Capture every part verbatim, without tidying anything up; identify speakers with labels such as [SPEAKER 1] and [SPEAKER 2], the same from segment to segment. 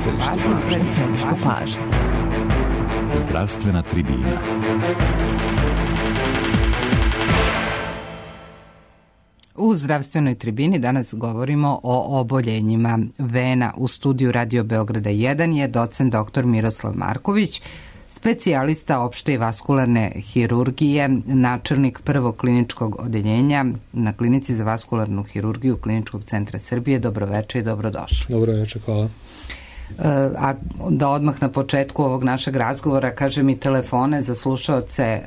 [SPEAKER 1] središtu pažnje.
[SPEAKER 2] Zdravstvena tribina.
[SPEAKER 1] U zdravstvenoj tribini danas govorimo o oboljenjima vena. U studiju Radio Beograda jedan je docent doktor Miroslav Marković, specijalista opšte i vaskularne hirurgije, načelnik prvog kliničkog odeljenja na Klinici za vaskularnu hirurgiju Kliničkog centra Srbije. Dobroveče i dobrodošli.
[SPEAKER 3] Dobroveče, hvala.
[SPEAKER 1] A da odmah na početku ovog našeg razgovora kažem i telefone za slušaoce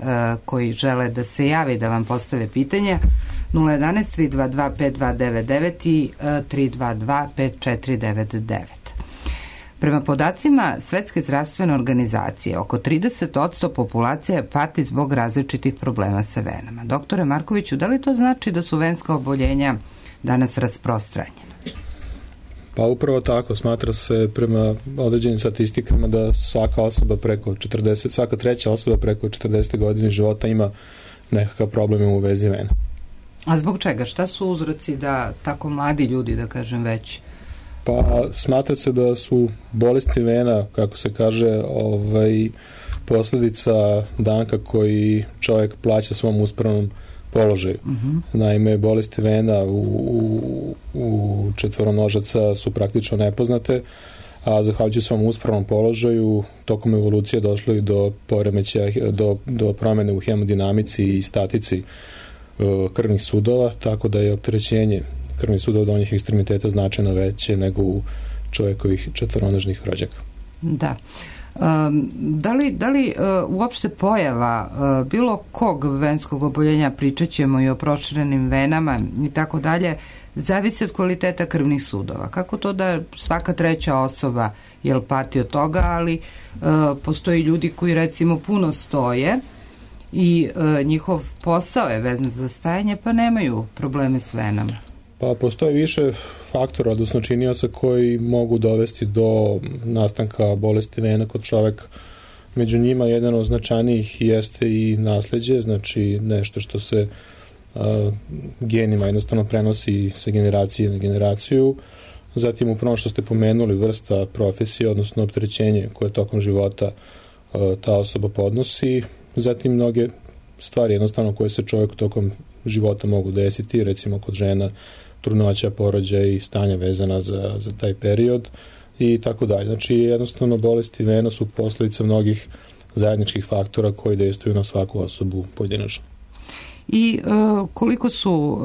[SPEAKER 1] koji žele da se javi da vam postave pitanje: nula jedanaest tri dva dva pet dva devet devet i tri dva dva pet četiri devet devet. Prema podacima Svetske zdravstvene organizacije, oko trideset posto populacije pati zbog različitih problema sa venama. Doktore Markoviću, da li to znači da su venska oboljenja danas rasprostranjena?
[SPEAKER 3] Pa upravo tako, smatra se prema određenim statistikama da svaka osoba preko četrdeset, svaka treća osoba preko četrdeset godine života ima nekakav problem u vezi vena.
[SPEAKER 1] A zbog čega? Šta su uzroci da tako mladi ljudi, da kažem, već?
[SPEAKER 3] Pa smatra se da su bolesti vena, kako se kaže, ovaj, posledica danka koji čovjek plaća svom uspravnom položaju. Uh-huh. Naime, bolesti vena u, u, u četvoronožaca su praktično nepoznate, a zahvaljujući svom uspravnom položaju tokom evolucije došlo i do poremećaja, do, do promjene u hemodinamici i statici uh, krvnih sudova, tako da je opterećenje krvnih sudova donjih ekstremiteta značajno veće nego u čovjekovih četvoronožnih rođaka.
[SPEAKER 1] Da. Um, da li, da li uh, uopšte pojava uh, bilo kog venskog oboljenja, pričat ćemo i o proširenim venama i tako dalje, zavisi od kvaliteta krvnih sudova? Kako to da svaka treća osoba jel pati od toga, ali uh, postoji ljudi koji recimo puno stoje i uh, njihov posao je vezan za stajanje pa nemaju probleme s venama?
[SPEAKER 3] Pa postoje više faktora, odnosno činioca koji mogu dovesti do nastanka bolesti vena kod čoveka. Među njima jedan od značajnijih jeste i nasleđe, znači nešto što se a, genima jednostavno prenosi sa generacije na generaciju. Zatim upravo što ste pomenuli, vrsta profesije, odnosno opterećenje koje tokom života a, ta osoba podnosi. Zatim mnoge stvari jednostavno koje se čovjek tokom života mogu desiti, recimo kod žena trudnoća, porođaj i stanja vezana za, za taj period i tako dalje. Znači jednostavno bolesti vena su posljedica mnogih zajedničkih faktora koji dejstvuju na svaku osobu pojedinačno.
[SPEAKER 1] I uh, koliko su uh,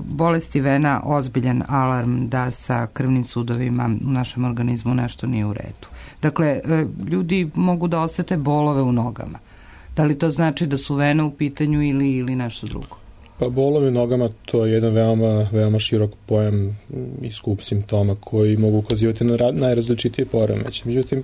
[SPEAKER 1] bolesti vena ozbiljan alarm da sa krvnim sudovima u našem organizmu nešto nije u redu? Dakle, uh, ljudi mogu da osete bolove u nogama. Da li to znači da su vene u pitanju ili, ili nešto drugo?
[SPEAKER 3] Pa bolovi u nogama to je jedan veoma, veoma širok pojam i skup simptoma koji mogu ukazivati na najrazličitije poremeće. Međutim,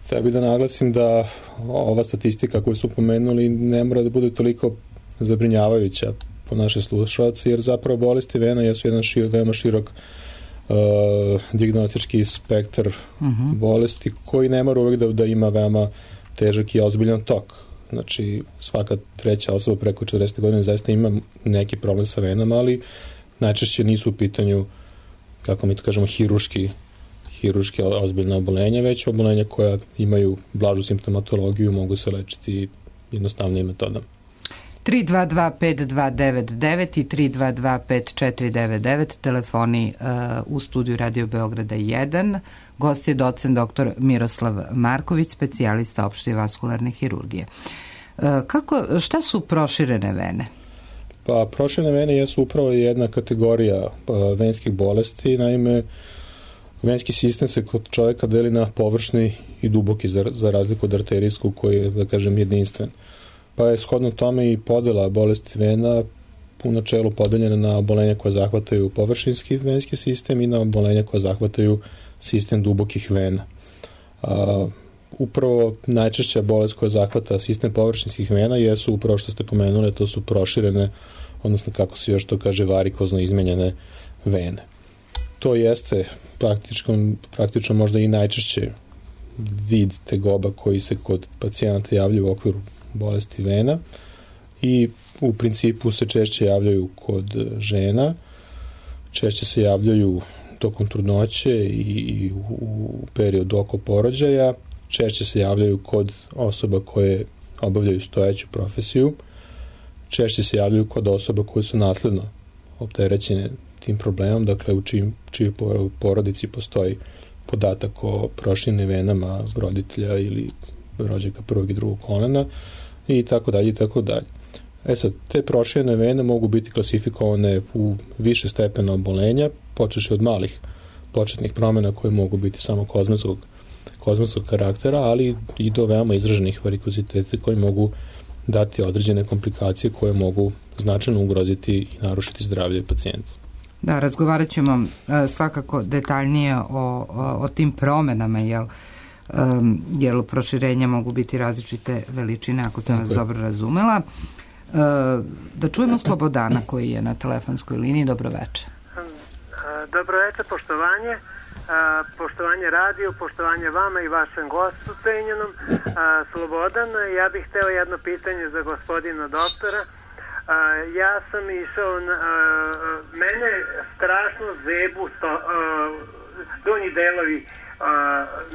[SPEAKER 3] treba da naglasim da ova statistika koju su pomenuli ne mora da bude toliko zabrinjavajuća po naše slušalce, jer zapravo bolesti vena jesu jedan šir, veoma širok uh, dijagnostički spektar uh-huh. bolesti koji ne mora uvijek da, da ima veoma težak i ozbiljan tok. Znači, svaka treća osoba preko četrdeset godina zaista ima neki problem sa venama, ali najčešće nisu u pitanju, kako mi to kažemo, hiruški, hiruški ozbiljna obolenja, već obolenja koja imaju blažu simptomatologiju, mogu se lečiti jednostavnijim metodama.
[SPEAKER 1] tri dva dva pet dva devet devet i tri dva dva pet četiri devet devet, telefoni uh, u studiju Radio Beograda jedan. Gost je docent doktor Miroslav Marković, specijalista opšte i vaskularne hirurgije. Uh, kako, šta su proširene vene?
[SPEAKER 3] Pa proširene vene jesu upravo jedna kategorija uh, venskih bolesti. Naime, venski sistem se kod čovjeka deli na površni i duboki, za, za razliku od arterijskog koji je, da kažem, jedinstven. Pa je shodno tome i podela bolesti vena u načelu podeljena na obolenja koja zahvataju površinski venski sistem i na obolenja koja zahvataju sistem dubokih vena. A, upravo najčešća bolest koja zahvata sistem površinskih vena jesu upravo što ste pomenuli, to su proširene, odnosno kako se još to kaže, varikozno izmenjene vene. To jeste praktično, praktično možda i najčešće vid tegoba koji se kod pacijenata javljaju u okviru bolesti vena i u principu se češće javljaju kod žena, češće se javljaju tokom trudnoće i u periodu oko porođaja. Češće se javljaju kod osoba koje obavljaju stojeću profesiju. Češće se javljaju kod osoba koje su nasledno opterećene tim problemom, dakle u čijim, čijoj porodici postoji podatak o proširenim venama roditelja ili rođaka prvog i drugog kolena i tako dalje i tako dalje. E sad, te proširene vene mogu biti klasifikovane u više stepena obolenja, počeši od malih početnih promjena koje mogu biti samo kozmetskog, kozmetskog karaktera, ali i do veoma izraženih varikoziteta koji mogu dati određene komplikacije koje mogu značajno ugroziti i narušiti zdravlje pacijenta.
[SPEAKER 1] Da, razgovarat ćemo uh, svakako detaljnije o, o, o tim promenama, jel, um, jel proširenja mogu biti različite veličine, ako sam vas dobro razumela. Uh, da čujemo Slobodana koji je na telefonskoj liniji. Dobro večer.
[SPEAKER 4] Dobro večer, poštovanje. Uh, poštovanje radiju, poštovanje vama i vašem gostu cenjenom. Uh, Slobodan, ja bih hteo jedno pitanje za gospodina doktora. Uh, ja sam išao, na, uh, mene strašno zebu sto, uh, donji delovi uh,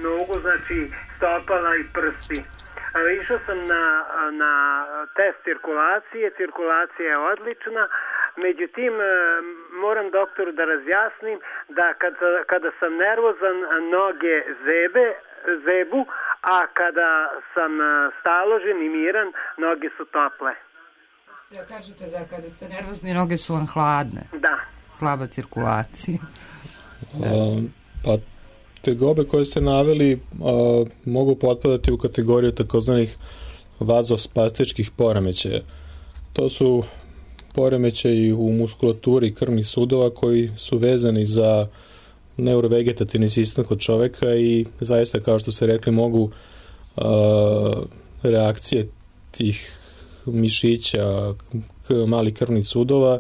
[SPEAKER 4] nogu, znači stopala i prsti. Uh, išao sam na, na test cirkulacije, cirkulacija je odlična, međutim uh, moram doktoru da razjasnim da kad, kada sam nervozan noge zebe, zebu, a kada sam staložen i miran noge su tople.
[SPEAKER 1] Ja kažete da kada ste nervozni noge su vam hladne.
[SPEAKER 4] Da.
[SPEAKER 1] Slaba cirkulacija.
[SPEAKER 3] A, pa tegobe koje ste naveli a, mogu potpadati u kategoriju takozvanih vazospastičkih poremećaja. To su poremećaji u muskulaturi krvnih sudova koji su vezani za neurovegetativni sistem kod čoveka i zaista, kao što ste rekli, mogu a, reakcije tih mišića, malih krvnih sudova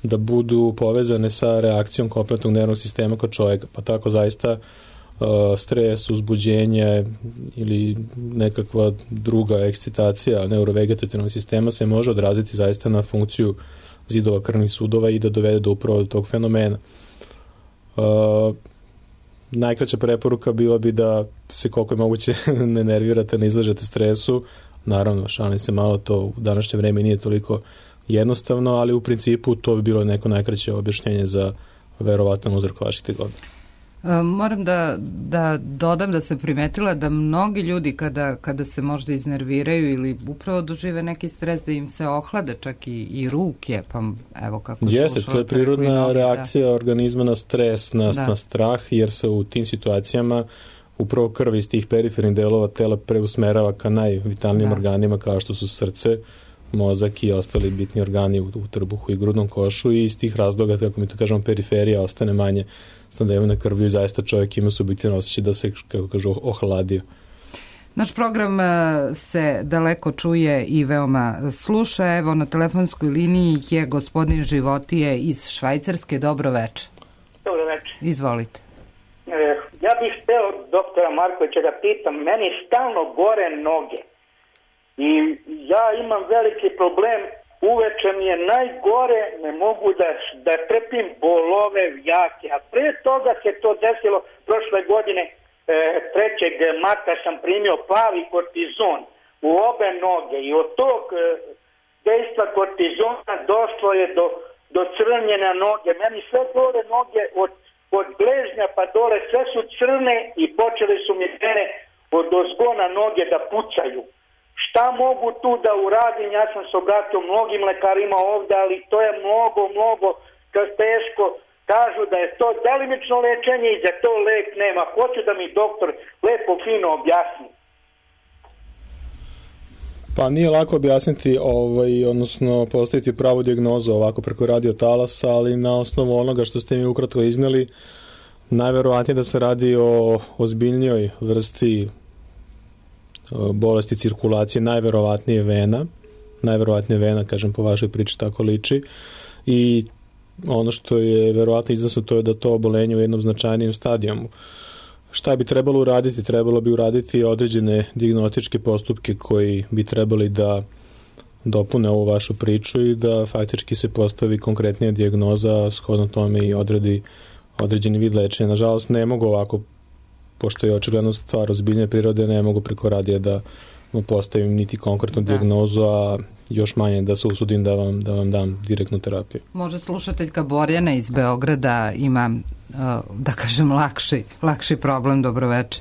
[SPEAKER 3] da budu povezane sa reakcijom kompletnog nervnog sistema kod čovjeka. Pa tako zaista uh, stres, uzbuđenje ili nekakva druga ekscitacija neurovegetativnog sistema se može odraziti zaista na funkciju zidova krvnih sudova i da dovede do upravo tog fenomena. Uh, najkraća preporuka bila bi da se koliko je moguće ne nervirate, ne izlažete stresu. Naravno, šalim se malo, to u današnje vreme nije toliko jednostavno, ali u principu to bi bilo neko najkraće objašnjenje za verovatan uzrok vaših tegoba.
[SPEAKER 1] Moram da, da dodam da sam primetila da mnogi ljudi kada, kada se možda iznerviraju ili upravo dožive neki stres, da im se ohlade čak i, i ruke, pa evo kako
[SPEAKER 3] jeste, to je prirodna noge, reakcija da. organizma na stres, na, na strah, jer se u tim situacijama upravo krv iz tih perifernih delova tela preusmerava ka najvitalnijim da. organima kao što su srce, mozak i ostali bitni organi u, u trbuhu i grudnom košu i iz tih razloga, kako mi to kažemo, periferija ostane manje snadevena krvlju i zaista čovjek ima subjektivno osjećaj da se, kako kažu, ohladio.
[SPEAKER 1] Naš program se daleko čuje i veoma sluša. Evo, na telefonskoj liniji je gospodin Životije iz Švajcarske. Dobro večer.
[SPEAKER 5] Dobro večer.
[SPEAKER 1] Izvolite.
[SPEAKER 5] Ja bih hteo doktora Markovića da pitam, meni stalno gore noge i ja imam veliki problem, uveče mi je najgore, ne mogu da, da trpim bolove jake, a pre toga se to desilo prošle godine, trećeg marta sam primio plavi kortizon u obe noge i od tog dejstva kortizona došlo je do, do crnjena noge, meni sve gore noge od od gležnja pa dole sve su crne i počeli su mi mene od ozgona noge da pucaju. Šta mogu tu da uradim? Ja sam se obratio mnogim lekarima ovdje, ali to je mnogo, mnogo teško. Kažu da je to delimično lečenje i da to lek nema. Hoću da mi doktor lepo fino objasni.
[SPEAKER 3] Pa nije lako objasniti, ovaj, odnosno postaviti pravu dijagnozu ovako preko radiotalasa, ali na osnovu onoga što ste mi ukratko izneli, najverovatnije da se radi o ozbiljnijoj vrsti bolesti cirkulacije, najverovatnije vena, najverovatnije vena, kažem po vašoj priči tako liči, i ono što je verovatno iznosno to je da to obolenje u jednom značajnijem stadijumu. Šta bi trebalo uraditi? Trebalo bi uraditi određene dijagnostičke postupke koji bi trebali da dopune ovu vašu priču i da faktički se postavi konkretnija dijagnoza, shodno tome i odredi određeni vid lečenja. Nažalost, ne mogu ovako, pošto je očigledno stvar ozbiljne prirode, ne mogu preko radija da vam postavim niti konkretnu da. dijagnozu, a još manje da se usudim da vam, da vam dam direktnu terapiju.
[SPEAKER 1] Može slušateljka Borjana iz Beograda ima, da kažem, lakši, lakši problem. Dobroveče.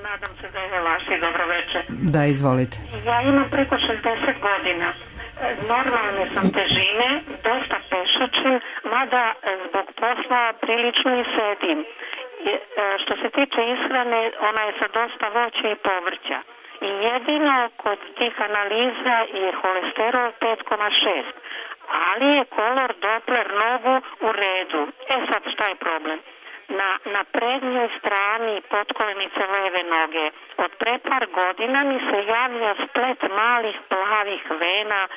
[SPEAKER 6] Nadam se da je lakši. Dobroveče.
[SPEAKER 1] Da, izvolite.
[SPEAKER 6] Ja imam preko šezdeset godina. Normalne sam težine, dosta pešačim, mada zbog posla prilično i sedim. Što se tiče ishrane, ona je sa dosta voća i povrća. I jedino kod tih analiza je holesterol pet zarez šest, ali je kolor Doppler nogu u redu. E sad, šta je problem? Na, na prednjoj strani potkolenice leve noge od pre par godina mi se javlja splet malih plavih vena e,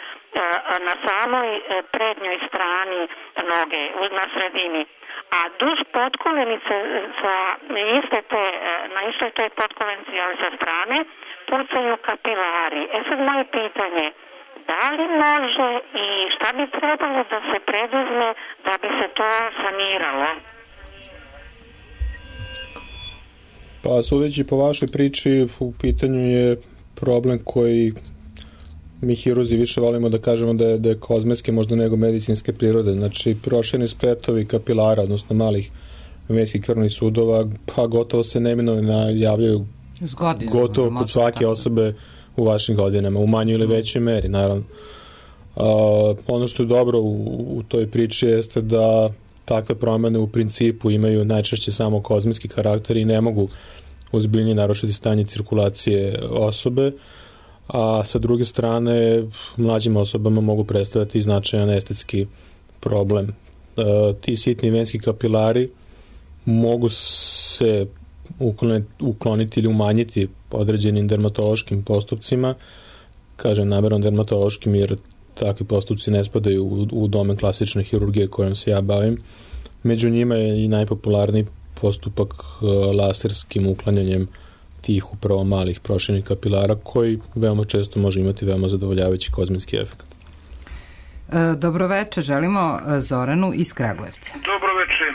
[SPEAKER 6] na samoj prednjoj strani noge, na sredini. A duž potkolenice sa iste te, na istoj toj potkolenici, ali sa strane, pucaju kapilari. E sad moje pitanje, da li može i šta bi trebalo da se preduzme da bi se to saniralo?
[SPEAKER 3] Pa sudeći po vašoj priči, u pitanju je problem koji mi hiruzi više volimo da kažemo da je, da je kozmetske, možda nego medicinske prirode. Znači, prošireni spletovi kapilara, odnosno malih venskih krvnih sudova, pa gotovo se neminovno javljaju gotovo kod svake osobe u vašim godinama, u manjoj ili većoj meri, naravno. A, ono što je dobro u, u toj priči jeste da takve promene u principu imaju najčešće samo kozmetski karakter i ne mogu ozbiljnije narušiti stanje cirkulacije osobe, a sa druge strane mlađim osobama mogu predstavljati značajan estetski problem. E, ti sitni venski kapilari mogu se ukloniti, ukloniti ili umanjiti određenim dermatološkim postupcima, kažem namjerno dermatološkim jer takvi postupci ne spadaju u, u domen klasične hirurgije kojom se ja bavim. Među njima je i najpopularniji postupak laserskim uklanjanjem tih upravo malih proširenih kapilara koji veoma često može imati veoma zadovoljavajući kozmetski efekt.
[SPEAKER 1] E, dobroveče, želimo Zoranu iz Kragujevca.
[SPEAKER 7] Dobroveče.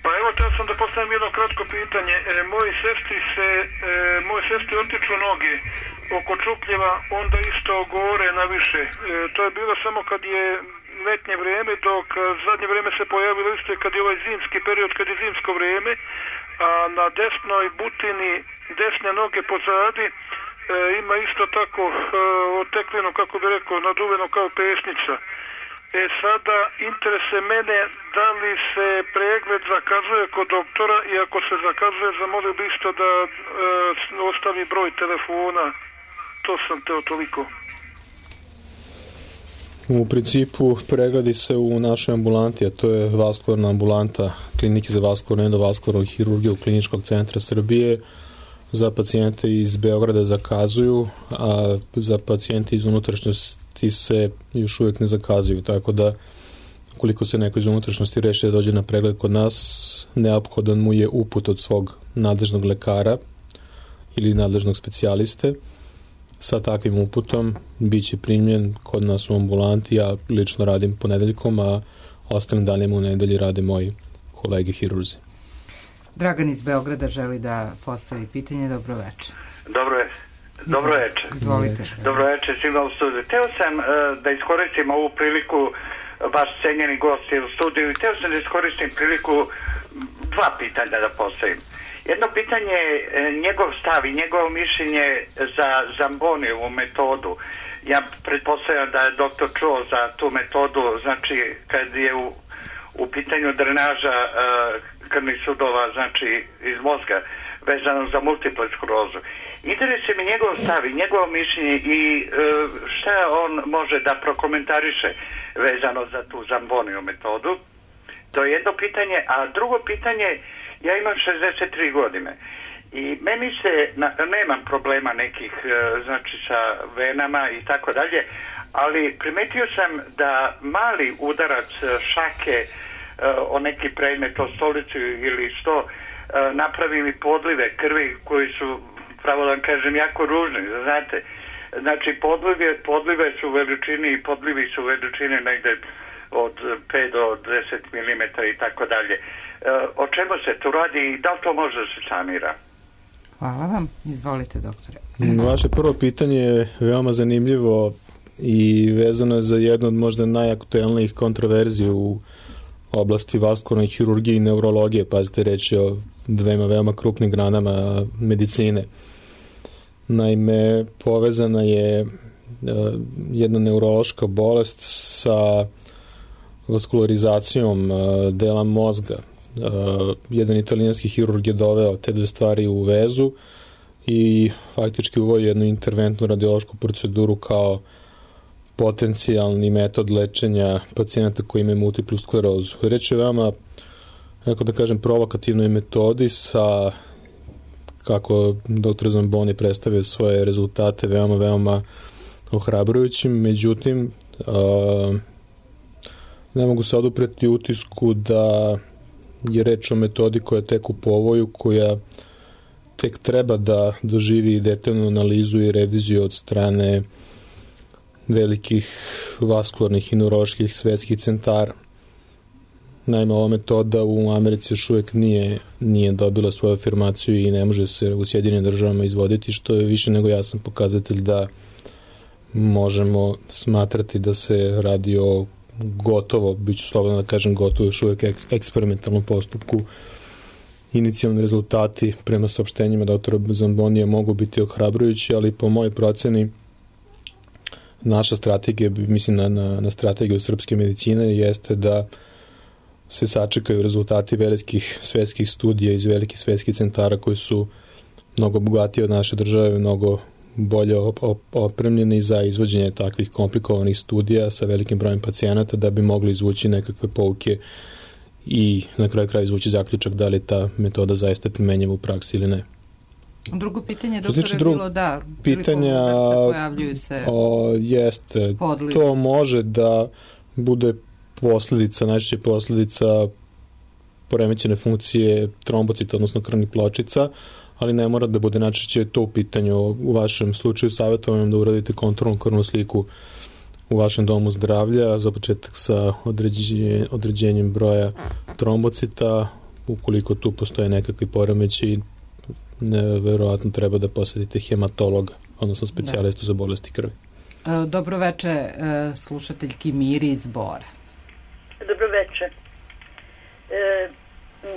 [SPEAKER 7] Pa evo, teo sam da postavim jedno kratko pitanje. E, moji sestri se, e, moje sestri otiču noge oko čupljeva, onda isto gore na više. E, to je bilo samo kad je letnje vrijeme, dok zadnje vrijeme se pojavilo isto kad je ovaj zimski period, kad je zimsko vrijeme, a na desnoj butini desne noge pozadi e, ima isto tako e, oteklinu, kako bi rekao, naduveno kao pesnica. E sada, interese mene da li se pregled zakazuje kod doktora i ako se zakazuje, zamolio bi isto da e, ostavi broj telefona. To sam teo toliko.
[SPEAKER 3] U principu pregledi se u našoj ambulanti, a to je vaskularna ambulanta Klinike za vaskularnu endovaskularnu hirurgiju Kliničkog centra Srbije. Za pacijente iz Beograda zakazuju, a za pacijente iz unutrašnjosti se još uvijek ne zakazuju, tako da ukoliko se neko iz unutrašnjosti reši da dođe na pregled kod nas, neophodan mu je uput od svog nadležnog lekara ili nadležnog specijaliste. Sa takvim uputom bit će primljen kod nas u ambulanti. Ja lično radim ponedeljkom, a ostalim danima u nedelji rade moji kolege hirurzi.
[SPEAKER 1] Dragan iz Beograda želi da postavi pitanje. Dobro večer.
[SPEAKER 8] Dobro je. Dobro večer.
[SPEAKER 1] Izvolite.
[SPEAKER 8] Dobro večer svima u studiju. Teo sam uh, da iskoristim ovu priliku, vaš cenjeni gost je u studiju, i teo sam da iskoristim priliku dva pitanja da postavim. Jedno pitanje je njegov stav i njegovo mišljenje za Zambonijevu metodu. Ja pretpostavljam da je doktor čuo za tu metodu, znači kad je u, u pitanju drenaža uh, krvnih sudova, znači iz mozga, vezano za multiplu sklerozu. Interesuje mi njegov stav i njegovo mišljenje i uh, šta on može da prokomentariše vezano za tu Zambonijevu metodu. To je jedno pitanje, a drugo pitanje, ja imam šezdeset tri godine i meni se, na, nemam problema nekih, znači sa venama i tako dalje, ali primetio sam da mali udarac šake o neki predmet, o stolicu ili što, napravi mi podlive krvi koji su, pravo da vam kažem, jako ružni, znate. Znači podlive, podlive su u veličini i podlivi su u veličini negde od pet do deset milimetara i tako dalje. O čemu se tu radi i da li to može da se sanira?
[SPEAKER 1] Hvala vam. Izvolite, doktore.
[SPEAKER 3] Vaše prvo pitanje je veoma zanimljivo i vezano je za jednu od možda najaktuelnijih kontroverzija u oblasti vaskularne hirurgije i neurologije. Pazite, reći o dvema veoma krupnim granama medicine. Naime, povezana je jedna neurološka bolest sa vaskularizacijom dela mozga. Jedan italijanski hirurg je doveo te dve stvari u vezu i faktički uveo jednu interventnu radiološku proceduru kao potencijalni metod lečenja pacijenata koji imaju multiplu sklerozu. Reč je veoma, kako da kažem, provokativnoj metodi sa, kako doktor Zamboni predstavio svoje rezultate, veoma, veoma ohrabrujućim. Međutim, a, ne mogu se odupreti utisku da je reč o metodi koja je tek u povoju, koja tek treba da doživi detaljnu analizu i reviziju od strane velikih vaskularnih i neuroloških svetskih centara. Naime, ova metoda u Americi još uvijek nije, nije dobila svoju afirmaciju i ne može se u Sjedinjenim državama izvoditi, što je više nego jasan pokazatelj da možemo smatrati da se radi o gotovo, bit ću slobodno da kažem gotovo, još uvijek eksperimentalnom postupku. Inicijalni rezultati prema saopštenjima doktora Zambonija mogu biti ohrabrujući, ali po mojoj proceni naša strategija, mislim na, na, na strategiju srpske medicine, jeste da se sačekaju rezultati velikih svetskih studija iz velikih svetskih centara koji su mnogo bogatiji od naše države, mnogo bolje opremljeni za izvođenje takvih komplikovanih studija sa velikim brojem pacijenata da bi mogli izvući nekakve pouke i na kraju kraja izvući zaključak da li ta metoda zaista primenjiva u praksi ili ne.
[SPEAKER 1] Drugo pitanje, doktore, je bilo da
[SPEAKER 3] pitanja
[SPEAKER 1] pojavljuju se
[SPEAKER 3] o, jeste,
[SPEAKER 1] podliv.
[SPEAKER 3] To može da bude posljedica, najčešće posljedica poremećene funkcije trombocita, odnosno krvnih pločica, ali ne mora da bude najčešće to u pitanju. U vašem slučaju savjetujem da uradite kontrolnu krvnu sliku u vašem domu zdravlja, za početak sa određenje, određenjem broja trombocita. Ukoliko tu postoje nekakvi poremeći, verovatno treba da posjetite hematologa, odnosno specijalistu za bolesti krvi.
[SPEAKER 1] Dobro veče, slušateljki Miri iz Bora.
[SPEAKER 9] Dobro veče. E,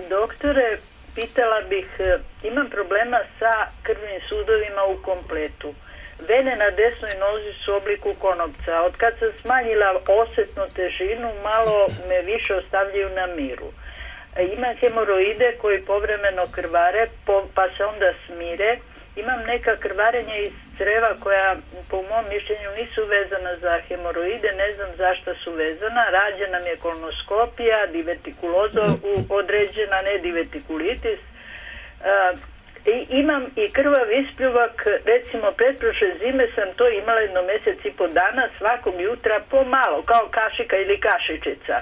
[SPEAKER 9] doktore, pitala bih, imam problema sa krvnim sudovima u kompletu. Vene na desnoj nozi su u obliku konopca. Od kad sam smanjila osjetnu težinu, malo me više ostavljaju na miru. Imam hemoroide koji povremeno krvare, pa se onda smire. Imam neka krvarenja iz creva koja po mom mišljenju nisu vezana za hemoroide, ne znam zašto su vezana. Rađena mi je kolonoskopija, divertikuloza određena, ne divertikulitis. I imam i krvav ispljuvak, recimo pretprošle zime sam to imala jedno mjesec i po dana, svakog jutra pomalo, kao kašika ili kašičica.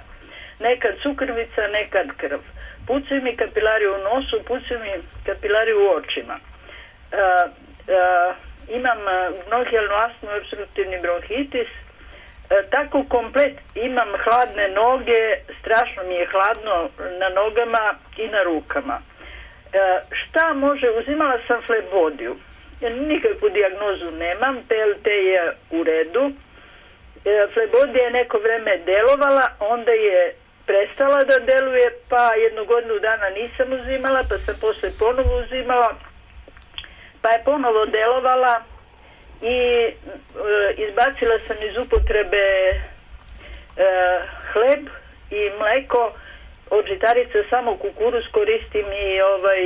[SPEAKER 9] Nekad sukrvica, nekad krv. Pucaju mi kapilari u nosu, pucaju mi kapilari u očima. Uh, uh, imam bronhijalnu astmu i obstruktivni bronhitis. Uh, tako komplet imam hladne noge, strašno mi je hladno na nogama i na rukama. Uh, šta može, uzimala sam flebodiju. Nikakvu dijagnozu nemam, P L T je u redu. Uh, flebodija je neko vreme delovala, onda je prestala da deluje, pa jednu godinu dana nisam uzimala, pa sam posle ponovo uzimala, pa je ponovo delovala i e, izbacila sam iz upotrebe e, hleb i mleko, od žitarica samo kukuruz, koristim i ovaj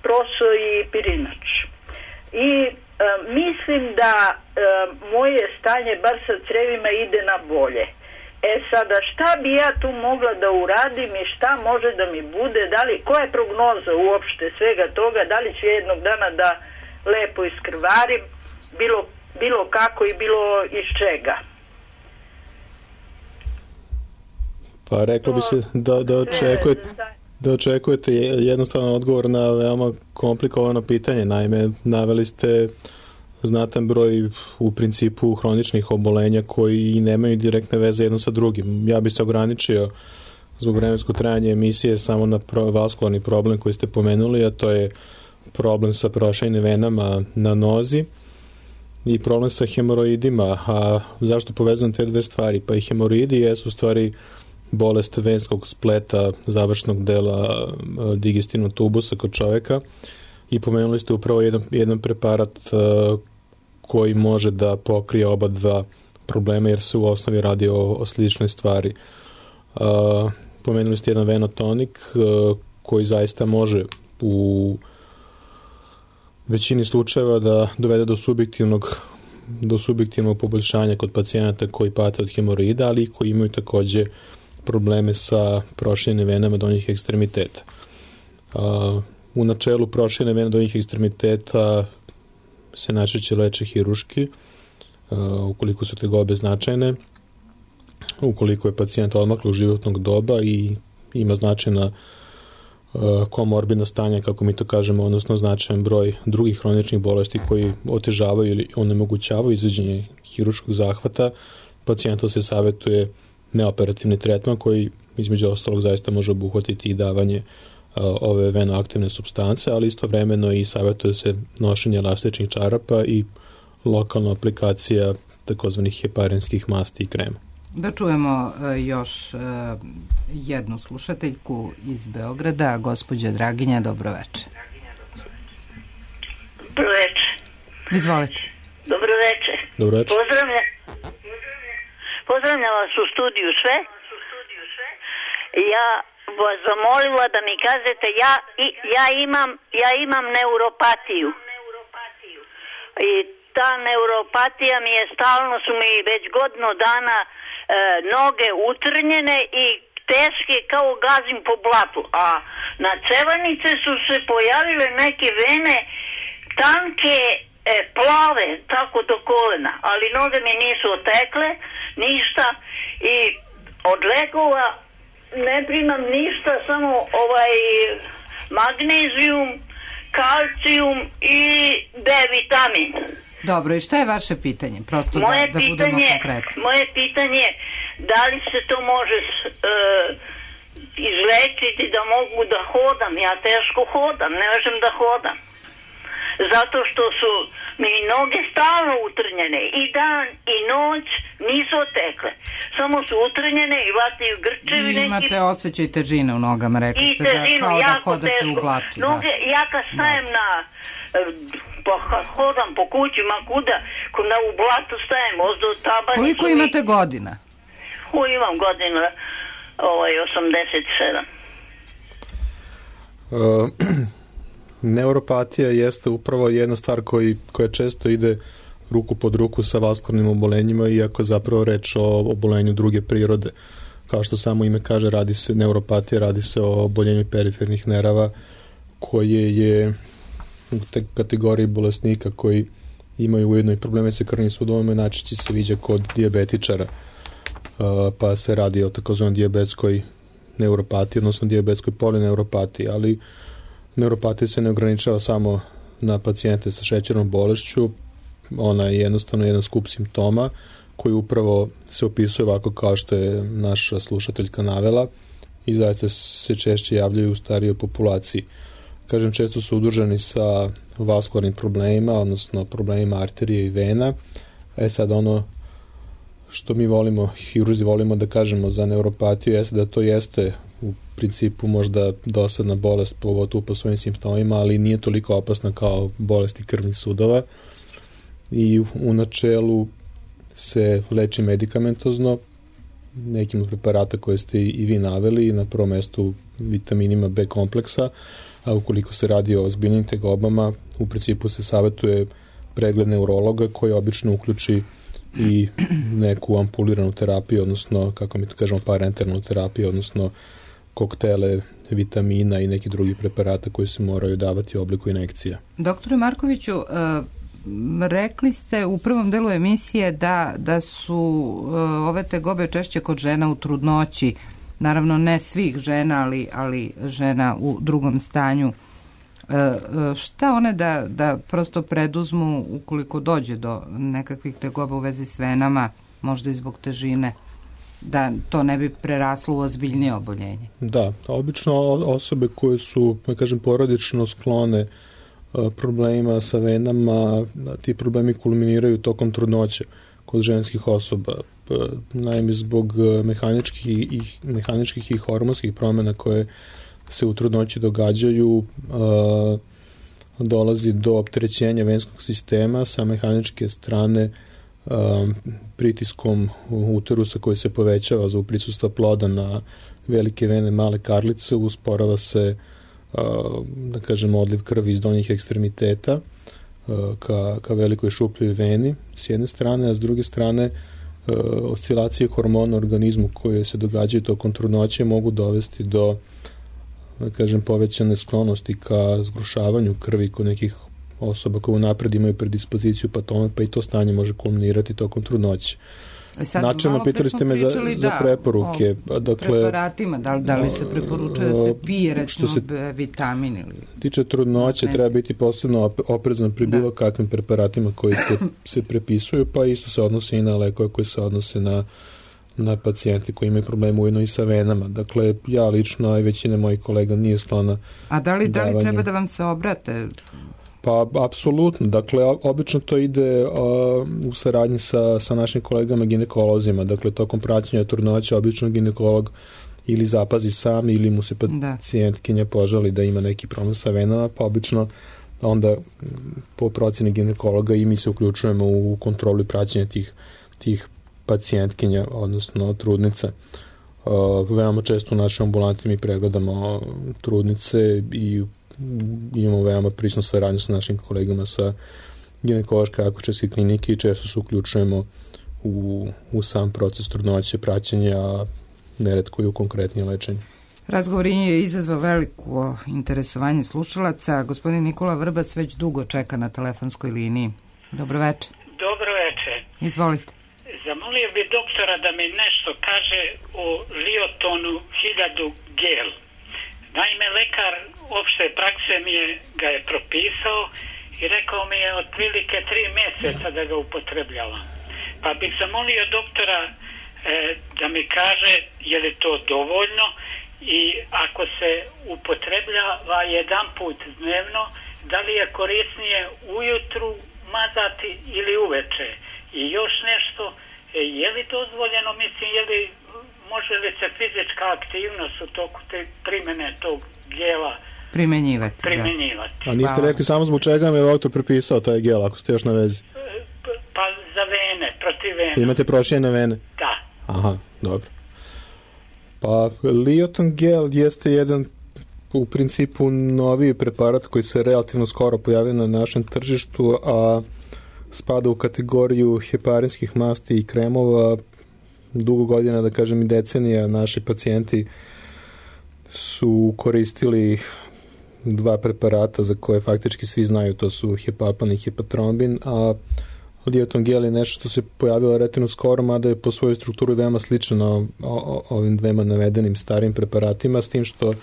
[SPEAKER 9] proso i pirinač. I e, mislim da e, moje stanje, bar sa crevima, ide na bolje. E sada, šta bi ja tu mogla da uradim i šta može da mi bude, da li, koja je prognoza uopšte svega toga, da li ću jednog dana da lepo iskrvarim, bilo, bilo kako i bilo iz čega?
[SPEAKER 3] Pa reklo bi se da, da, očekujete, da očekujete jednostavan odgovor na veoma komplikovano pitanje. Naime, naveli ste znatan broj u principu hroničnih obolenja koji nemaju direktne veze jedno sa drugim. Ja bih se ograničio zbog vremenskog trajanja emisije samo na vaskularni problem koji ste pomenuli, a to je problem sa prošajnim venama na nozi i problem sa hemoroidima. A zašto povezam te dve stvari? Pa i hemoroidi jesu u stvari bolest venskog spleta završnog dela digestivnog tubusa kod čoveka i pomenuli ste upravo jedan, jedan preparat uh, koji može da pokrije oba dva problema jer se u osnovi radi o, o sličnoj stvari. Uh, pomenuli ste jedan venotonik uh, koji zaista može u većini slučajeva da dovede do subjektivnog do subjektivnog poboljšanja kod pacijenata koji pate od hemoroida, ali i koji imaju takođe probleme sa proširenim venama donjih ekstremiteta. Uh, u načelu proširene vene donjih ekstremiteta se najčešće leče hiruški, uh, ukoliko su tegobe značajne, ukoliko je pacijent odmaklog životnog doba i ima značajna uh, komorbidna stanja, kako mi to kažemo, odnosno značajan broj drugih hroničnih bolesti koji otežavaju ili onemogućavaju izvođenje hiruškog zahvata, pacijentu se savjetuje neoperativni tretman koji između ostalog zaista može obuhvatiti i davanje uh, ove venoaktivne supstance, ali istovremeno i savjetuje se nošenje elastičnih čarapa i lokalna aplikacija takozvanih heparinskih masti i krema.
[SPEAKER 1] Da čujemo uh, još uh, jednu slušateljku iz Beograda, gospođa Draginja, dobro večer.
[SPEAKER 10] Dobro večer.
[SPEAKER 1] Izvolite.
[SPEAKER 10] Dobro večer.
[SPEAKER 3] Dobro večer.
[SPEAKER 10] Pozdravljam. Pozdravljam vas u studiju sve. Ja vas zamolila da mi kažete, ja, ja, imam, ja imam neuropatiju. I ta neuropatija mi je, stalno su mi već godinu dana e, noge utrnjene i teške kao gazim po blatu. A na cevanice su se pojavile neke vene tanke, E, plave, tako do kolena, ali noge mi nisu otekle, ništa i od lekova ne primam ništa, samo ovaj magnezijum, kalcijum i D vitamin.
[SPEAKER 1] Dobro, i šta je vaše pitanje? Prosto moje da, da pitanje, budemo konkretni.
[SPEAKER 10] Moje pitanje je da li se to može uh, izlečiti da mogu da hodam, ja teško hodam, ne možem da hodam. Zato što su mi noge stalno utrnjene i dan i noć nisu otekle. Samo su utrnjene i vataju grčevi.
[SPEAKER 1] I imate neki... osjećaj težine u nogama, rekli ste
[SPEAKER 10] težinu,
[SPEAKER 1] da kao da hodate
[SPEAKER 10] teško.
[SPEAKER 1] u blatu.
[SPEAKER 10] Noge,
[SPEAKER 1] da.
[SPEAKER 10] Ja kad stajem na, pa hodam po kući, ma kuda, na u blatu stajem, ozdo tabanicu.
[SPEAKER 1] Koliko imate mi... godina?
[SPEAKER 10] U, imam godina ovaj, osamdeset sedam.
[SPEAKER 3] Uh, neuropatija jeste upravo jedna stvar koji, koja često ide ruku pod ruku sa vaskularnim obolenjima, iako zapravo reč o obolenju druge prirode. Kao što samo ime kaže, radi se neuropatija, radi se o oboljenju perifernih nerava koje je u te kategoriji bolesnika koji imaju ujedno i probleme sa krvnim sudovima, najčešće se viđa kod dijabetičara, pa se radi o takozvanoj dijabetskoj neuropatiji, odnosno dijabetskoj polineuropatiji, ali neuropatija se ne ograničava samo na pacijente sa šećernom bolešću, ona je jednostavno jedan skup simptoma koji upravo se opisuje ovako kao što je naša slušateljka navela i zaista se češće javljaju u starijoj populaciji. Kažem, često su udruženi sa vaskularnim problemima, odnosno problemima arterije i vena. E sad ono što mi volimo, hirurzi volimo da kažemo za neuropatiju jeste da to jeste u principu možda dosadna bolest, pogotovo po svojim simptomima, ali nije toliko opasna kao bolesti krvnih sudova i u načelu se leči medikamentozno nekim od preparata koje ste i vi naveli, na prvom mestu vitaminima B kompleksa, a ukoliko se radi o ozbiljnim tegobama, u principu se savjetuje pregled neurologa koji obično uključi i neku ampuliranu terapiju, odnosno, kako mi to kažemo, parenteralnu terapiju, odnosno koktele vitamina i neki drugi preparata koji se moraju davati u obliku injekcija.
[SPEAKER 1] Doktore Markoviću, rekli ste u prvom delu emisije da, da su ove tegobe češće kod žena u trudnoći, naravno ne svih žena, ali, ali žena u drugom stanju E, šta one da, da prosto preduzmu ukoliko dođe do nekakvih tegoba u vezi s venama, možda i zbog težine, da to ne bi preraslo u ozbiljnije oboljenje?
[SPEAKER 3] Da, obično osobe koje su, da kažem, porodično sklone problemima sa venama, ti problemi kulminiraju tokom trudnoće kod ženskih osoba. Naime, zbog mehaničkih i, mehaničkih i hormonskih promjena koje se u trudnoći događaju, a, dolazi do opterećenja venskog sistema sa mehaničke strane a, pritiskom uterusa koji se povećava za prisustva ploda na velike vene, male karlice, usporava se a, da kažem odliv krvi iz donjih ekstremiteta a, ka, ka velikoj šupljoj veni s jedne strane, a s druge strane a, oscilacije hormona u organizmu koje se događaju tokom trudnoće mogu dovesti do, da kažem, povećane sklonosti ka zgrušavanju krvi kod nekih osoba koje unapred imaju predispoziciju patoma, pa i to stanje može kulminirati tokom trudnoće. Načelno pitali ste me za, za preporuke.
[SPEAKER 1] O
[SPEAKER 3] dakle,
[SPEAKER 1] preparatima, da li, da li se preporučuje da se pije recimo se vitamin ili...
[SPEAKER 3] tiče trudnoće, treba biti posebno oprezan pri bilo kakvim preparatima koji se, se prepisuju, pa isto se odnosi i na lekove koji se odnose na na pacijenti koji imaju problema ujedno i sa venama. Dakle, ja lično i većina mojih kolega nije sklona.
[SPEAKER 1] A da li, da li treba da vam se obrate?
[SPEAKER 3] Pa, apsolutno. Dakle, obično to ide uh, u saradnji sa, sa našim kolegama ginekolozima. Dakle, tokom praćenja trudnoće obično ginekolog ili zapazi sam ili mu se pacijentkinja požali da ima neki problem sa venama, pa obično onda po procjeni ginekologa i mi se uključujemo u kontrolu i praćenje tih, tih pacijentkinja, odnosno trudnica. Uh, veoma često u našoj ambulanti mi pregledamo trudnice i imamo veoma prisnu saradnju sa našim kolegama sa ginekološke akušerske klinike i često se uključujemo u, u sam proces trudnoće, praćenja, a neretko i u konkretnije lečenje.
[SPEAKER 1] Razgovor je izazvao veliko interesovanje slušalaca. Gospodin Nikola Vrbac već dugo čeka na telefonskoj liniji. Dobro večer.
[SPEAKER 11] Dobro večer.
[SPEAKER 1] Izvolite.
[SPEAKER 11] Zamolio bi doktora da mi nešto kaže o Liotonu hiljadu gel. Naime, lekar opšte prakse mi je, ga je propisao i rekao mi je otprilike tri mjeseca da ga upotrebljavam. Pa bih zamolio doktora e, da mi kaže je li to dovoljno i ako se upotrebljava jedan put dnevno, da li je korisnije ujutru mazati ili uveče. I još nešto, je li dozvoljeno, mislim, je li, može li se fizička aktivnost u toku te primjene tog gela
[SPEAKER 1] primenjivati?
[SPEAKER 11] primenjivati.
[SPEAKER 3] A niste rekli samo zbog čega mi je autor prepisao taj gel, ako ste još na vezi?
[SPEAKER 11] Pa za vene, protiv vene.
[SPEAKER 3] Imate prošljene vene?
[SPEAKER 11] Da.
[SPEAKER 3] Aha, dobro. Pa Lioton gel jeste jedan u principu noviji preparat koji se relativno skoro pojavio na našem tržištu, a spada u kategoriju heparinskih masti i kremova. Dugo godina, da kažem i decenija, naši pacijenti su koristili dva preparata za koje faktički svi znaju, to su hepapan i hepatrombin, a Lioton gel je nešto što se pojavilo relativno skoro, mada je po svojoj strukturi veoma slično ovim dvema navedenim starim preparatima, s tim što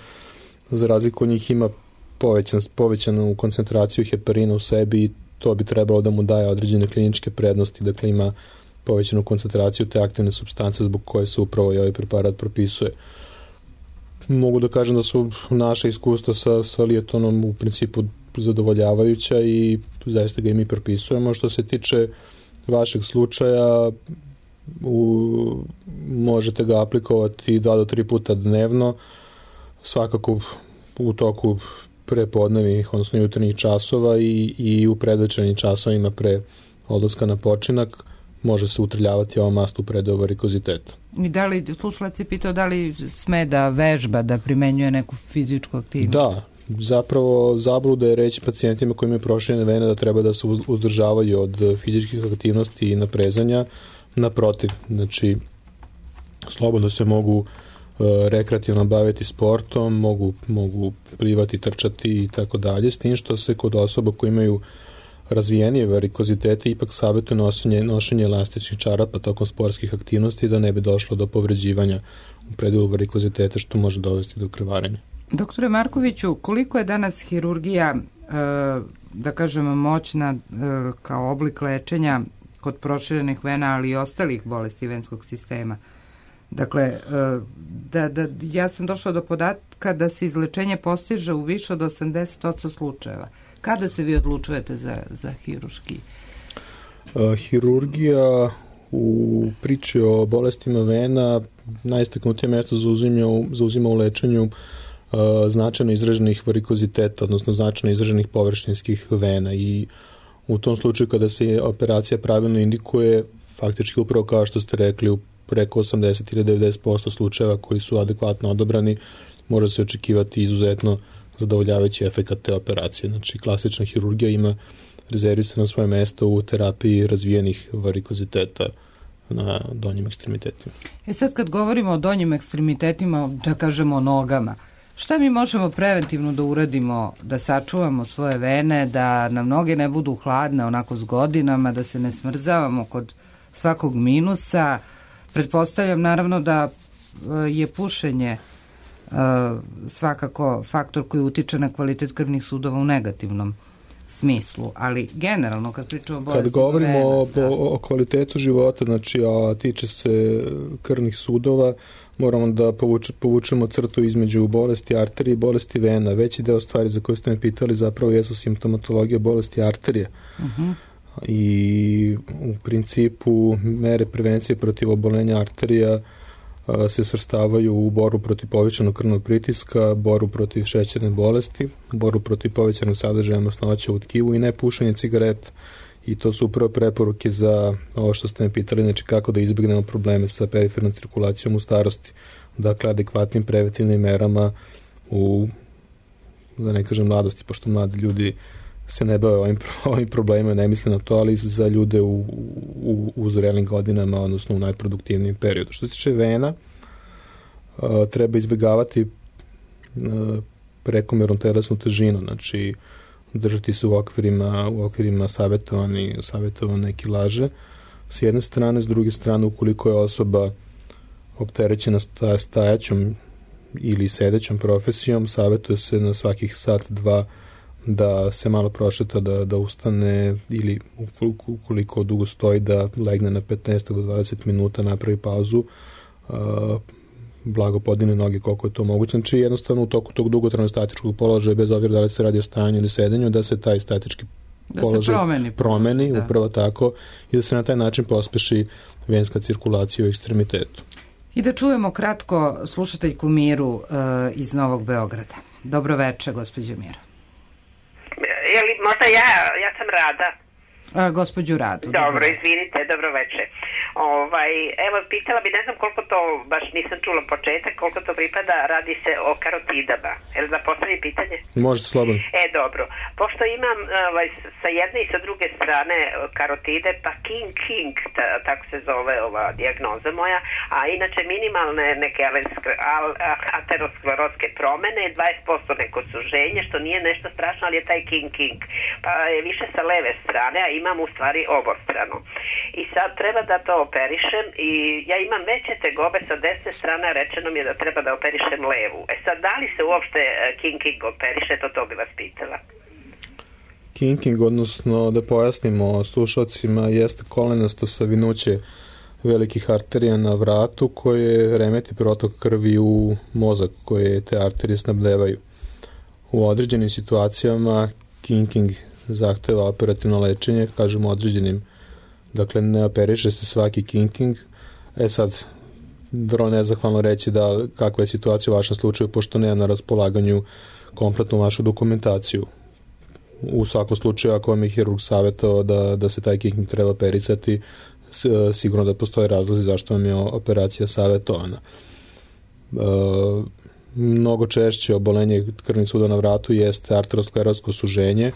[SPEAKER 3] za razliku od njih ima povećan, povećanu koncentraciju heparina u sebi i to bi trebalo da mu daje određene kliničke prednosti, dakle ima povećanu koncentraciju te aktivne supstance zbog koje se upravo i ovaj preparat propisuje. Mogu da kažem da su naše iskustva sa, sa Liotonom u principu zadovoljavajuća i zaista ga i mi propisujemo. Što se tiče vašeg slučaja, u, možete ga aplikovati dva do tri puta dnevno, svakako u toku prepodnevnih, odnosno jutarnjih časova i, i u predvečernim časovima pre odlaska na počinak može se utrljavati ova mast u predoju varikoziteta.
[SPEAKER 1] I da li, slušalac je pitao da li sme da vežba, da primenjuje neku fizičku aktivnost?
[SPEAKER 3] Da, zapravo zabluda je reći pacijentima koji imaju proširene vene da treba da se uzdržavaju od fizičkih aktivnosti i naprezanja. Naprotiv, znači slobodno se mogu rekreativno baviti sportom, mogu, mogu plivati, trčati i tako dalje, s tim što se kod osoba koji imaju razvijenije varikozitete ipak savjetuje nošenje, nošenje elastičnih čarapa tokom sportskih aktivnosti da ne bi došlo do povređivanja u predelu varikoziteta što može dovesti do krvarenja.
[SPEAKER 1] Doktore Markoviću, koliko je danas hirurgija, da kažemo, moćna kao oblik lečenja kod proširenih vena, ali i ostalih bolesti venskog sistema? Dakle, da, da, ja sam došla do podatka da se izlečenje postiže u više od osamdeset posto slučajeva. Kada se vi odlučujete za, za hirurški?
[SPEAKER 3] Uh, hirurgija u priči o bolestima vena najistaknutije mesto zauzima, zauzima u lečenju uh, značajno izraženih varikoziteta, odnosno značajno izraženih površinskih vena, i u tom slučaju kada se operacija pravilno indikuje, faktički upravo kao što ste rekli, u preko osamdeset ili devedeset posto slučajeva koji su adekvatno odobrani, može se očekivati izuzetno zadovoljavajući efekat te operacije. Znači, klasična hirurgija ima rezervisano svoje mesto u terapiji razvijenih varikoziteta na donjim ekstremitetima.
[SPEAKER 1] E sad, kad govorimo o donjim ekstremitetima, da kažemo o nogama, šta mi možemo preventivno da uradimo, da sačuvamo svoje vene, da nam noge ne budu hladne onako s godinama, da se ne smrzavamo kod svakog minusa? Pretpostavljam naravno da je pušenje svakako faktor koji utiče na kvalitet krvnih sudova u negativnom smislu, ali generalno kad pričamo o bolesti...
[SPEAKER 3] Kad govorimo
[SPEAKER 1] vena,
[SPEAKER 3] o,
[SPEAKER 1] da.
[SPEAKER 3] o, o kvalitetu života, znači, a tiče se krvnih sudova, moramo da povuče, povučemo crtu između bolesti arterije i bolesti vena. Veći deo stvari za koje ste me pitali zapravo jesu simptomatologija bolesti arterije. Uh-huh. I u principu mere prevencije protiv obolenja arterija a, se svrstavaju u boru protiv povećanog krvnog pritiska, boru protiv šećerne bolesti, boru protiv povećanog sadržaja masnoća u tkivu i nepušenje cigareta. I to su upravo preporuke za ovo što ste me pitali, znači kako da izbjegnemo probleme sa perifernom cirkulacijom u starosti. Dakle, adekvatnim preventivnim merama u, da ne kažem mladosti, pošto mladi ljudi se ne bave ovim, ovim problemima, ne misle na to, ali za ljude u, u, u zrelim godinama, odnosno u najproduktivnijem periodu. Što se tiče vena, a, treba izbjegavati a, prekomernu telesnu težinu, znači držati se u okvirima, u okvirima savjetovani, savjetovane kilaže. S jedne strane, s druge strane, ukoliko je osoba opterećena stajaćom ili sedećom profesijom, savjetuje se na svakih sat, dva da se malo prošeta, da, da ustane, ili ukoliko, ukoliko dugo stoji, da legne na petnaest do dvadeset minuta, napravi pauzu, uh, blago podine noge koliko je to moguće. Znači, jednostavno u toku tog dugotrajnog statičkog položaja, bez obzira da li se radi o stajanju ili sedenju, da se taj statički
[SPEAKER 1] da
[SPEAKER 3] položaj
[SPEAKER 1] promeni,
[SPEAKER 3] promeni
[SPEAKER 1] da.
[SPEAKER 3] upravo tako, i da se na taj način pospeši venska cirkulacija u ekstremitetu.
[SPEAKER 1] I da čujemo kratko slušateljku Miru uh, iz Novog Beograda. Dobro večer, gospođo Mira.
[SPEAKER 12] Je li možda ja, ja sam Rada.
[SPEAKER 1] A, gospođu Radu.
[SPEAKER 12] Dobro, dobro, izvinite, dobro večer. Ovaj, evo, pitala bi, ne znam koliko to, baš nisam čula početak, koliko to pripada, radi se o karotidama. Jel da postavi pitanje?
[SPEAKER 3] Možete slobodno.
[SPEAKER 12] E, dobro. Pošto imam ovaj, sa jedne i sa druge strane karotide, pa King King, ta, tako se zove ova dijagnoza moja, a inače minimalne neke ateroskleroske promene, dvadeset posto neko suženje, što nije nešto strašno, ali je taj King King. Pa je više sa leve strane, a imam u stvari obostrano. I sad treba da to operišem i ja imam veće tegobe sa desne strane, rečeno mi je da treba da operišem levu. E sad, da li se uopšte King King operiše, to to bi vas pitala.
[SPEAKER 3] King King, odnosno da pojasnimo slušalcima, jeste kolenasto savinuće velikih arterija na vratu koje remeti protok krvi u mozak koje te arterije snabdevaju. U određenim situacijama King King zahteva operativno lečenje, kažemo određenim, dakle ne operiše se svaki King King. E sad, vrlo nezahvalno reći da kakva je situacija u vašem slučaju, pošto nema na raspolaganju kompletnu vašu dokumentaciju. U svakom slučaju, ako vam je hirurg savjetao da, da se taj King King treba operisati, sigurno da postoje razlozi zašto vam je operacija savjetovana. E, mnogo češće obolenje krvnih sudova na vratu jeste arterosklerosko suženje,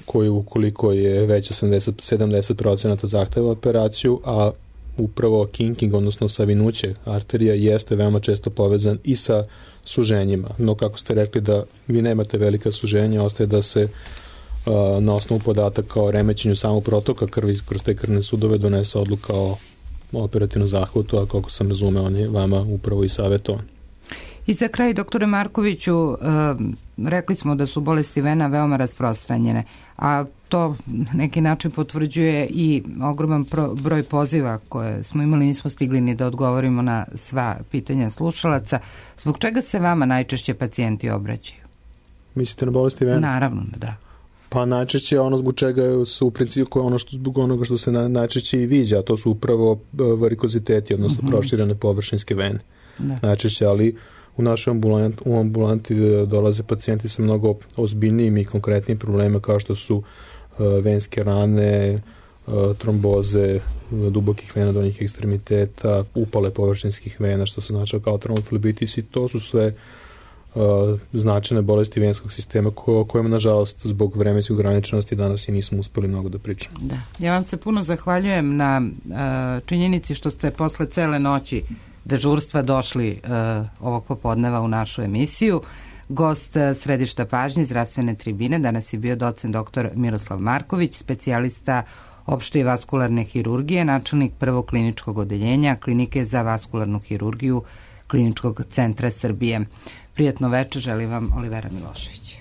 [SPEAKER 3] koji ukoliko je već osamdeset do sedamdeset procenata zahteva operaciju, a upravo King King, odnosno savinuće arterija, jeste veoma često povezan i sa suženjima. No, kako ste rekli da vi nemate velika suženja, ostaje da se a, na osnovu podataka o remećenju samog protoka krvi kroz te krvne sudove donese odluka o operativnom zahvatu, a koliko sam razumeo, on je vama upravo i savjetovan.
[SPEAKER 1] I za kraj, doktore Markoviću, rekli smo da su bolesti vena veoma rasprostranjene, a to neki način potvrđuje i ogroman broj poziva koje smo imali, nismo stigli ni da odgovorimo na sva pitanja slušalaca. Zbog čega se vama najčešće pacijenti obraćaju?
[SPEAKER 3] Mislite na bolesti vena?
[SPEAKER 1] Naravno, da.
[SPEAKER 3] Pa najčešće ono zbog čega su u principu ono što, zbog onoga što se na, najčešće i viđa, a to su upravo varikoziteti, odnosno mm-hmm. proširene površinske vene. Da. Najčešće, ali u našoj ambulanti, u ambulanti dolaze pacijenti sa mnogo ozbiljnijim i konkretnim problema kao što su uh, venske rane, uh, tromboze uh, dubokih vena donjih ekstremiteta, upale površinskih vena, što se znači kao trombofilebitis, i to su sve uh, značajne bolesti venskog sistema ko, kojima, nažalost, zbog vremenske ograničenosti danas i nismo uspeli mnogo da pričamo.
[SPEAKER 1] Da. Ja vam se puno zahvaljujem na uh, činjenici što ste posle cele noći dežurstva došli uh, ovog popodneva u našu emisiju. Gost uh, središta pažnje zdravstvene tribine danas je bio docent doktor Miroslav Marković, specijalista opšte i vaskularne hirurgije, načelnik prvog kliničkog odeljenja Klinike za vaskularnu hirurgiju Kliničkog centra Srbije. Prijatno večer, želim vam Olivera Milošević.